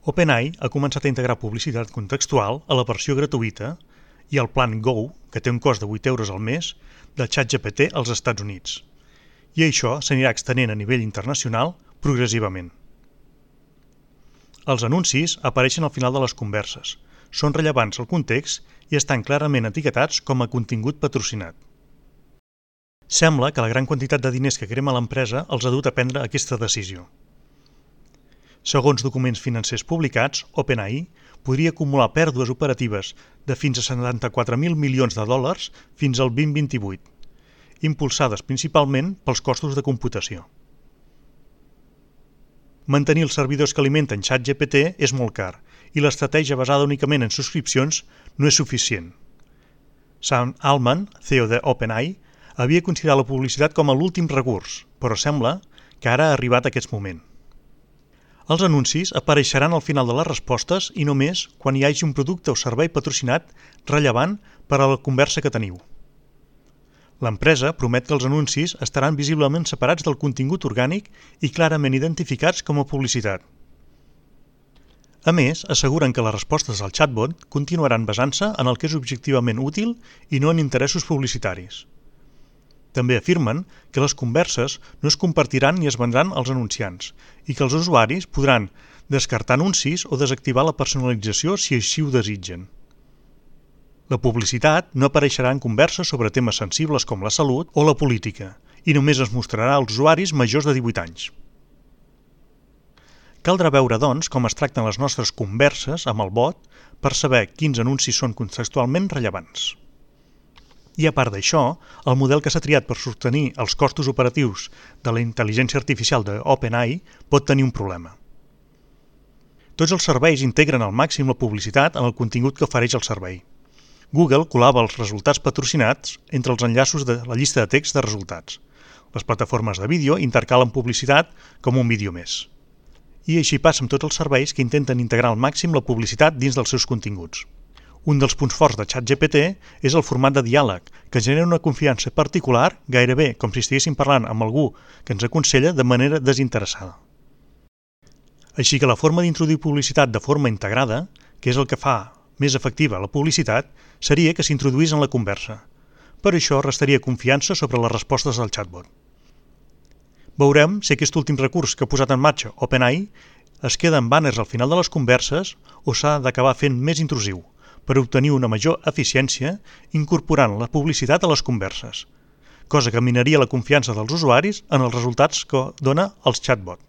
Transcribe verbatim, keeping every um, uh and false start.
OpenAI ha començat a integrar publicitat contextual a la versió gratuïta i al plan Go, que té un cost de vuit euros al mes, de ChatGPT als Estats Units. I això s'anirà extenent a nivell internacional progressivament. Els anuncis apareixen al final de les converses, són rellevants al context i estan clarament etiquetats com a contingut patrocinat. Sembla que la gran quantitat de diners que crema l'empresa els ha dut a prendre aquesta decisió. Segons documents financers publicats, OpenAI podria acumular pèrdues operatives de fins a setanta-quatre mil milions de dòlars fins al vint vint-i-vuit, impulsades principalment pels costos de computació. Mantenir els servidors que alimenten ChatGPT és molt car i l'estratègia basada únicament en subscripcions no és suficient. Sam Altman, C E O de OpenAI, havia considerat la publicitat com a l'últim recurs, però sembla que ara ha arribat aquest moment. Els anuncis apareixeran al final de les respostes i només quan hi hagi un producte o servei patrocinat rellevant per a la conversa que teniu. L'empresa promet que els anuncis estaran visiblement separats del contingut orgànic i clarament identificats com a publicitat. A més, asseguren que les respostes al chatbot continuaran basant-se en el que és objectivament útil i no en interessos publicitaris. També afirmen que les converses no es compartiran ni es vendran als anunciants i que els usuaris podran descartar anuncis o desactivar la personalització si així ho desitgen. La publicitat no apareixerà en converses sobre temes sensibles com la salut o la política i només es mostrarà als usuaris majors de divuit anys. Caldrà veure, doncs, com es tracten les nostres converses amb el bot per saber quins anuncis són contextualment rellevants. I a part d'això, el model que s'ha triat per sostenir els costos operatius de la intel·ligència artificial de OpenAI pot tenir un problema. Tots els serveis integren al màxim la publicitat en el contingut que ofereix el servei. Google col·lava els resultats patrocinats entre els enllaços de la llista de text de resultats. Les plataformes de vídeo intercalen publicitat com un vídeo més. I així passa amb tots els serveis que intenten integrar al màxim la publicitat dins dels seus continguts. Un dels punts forts de ChatGPT és el format de diàleg, que genera una confiança particular, gairebé com si estiguéssim parlant amb algú que ens aconsella de manera desinteressada. Així que la forma d'introduir publicitat de forma integrada, que és el que fa més efectiva la publicitat, seria que s'introduís en la conversa. Per això restaria confiança sobre les respostes del chatbot. Veurem si aquest últim recurs que ha posat en marxa OpenAI es queda en banners al final de les converses o s'ha d'acabar fent més intrusiu, per obtenir una major eficiència incorporant la publicitat a les converses, cosa que minaria la confiança dels usuaris en els resultats que dona el chatbot.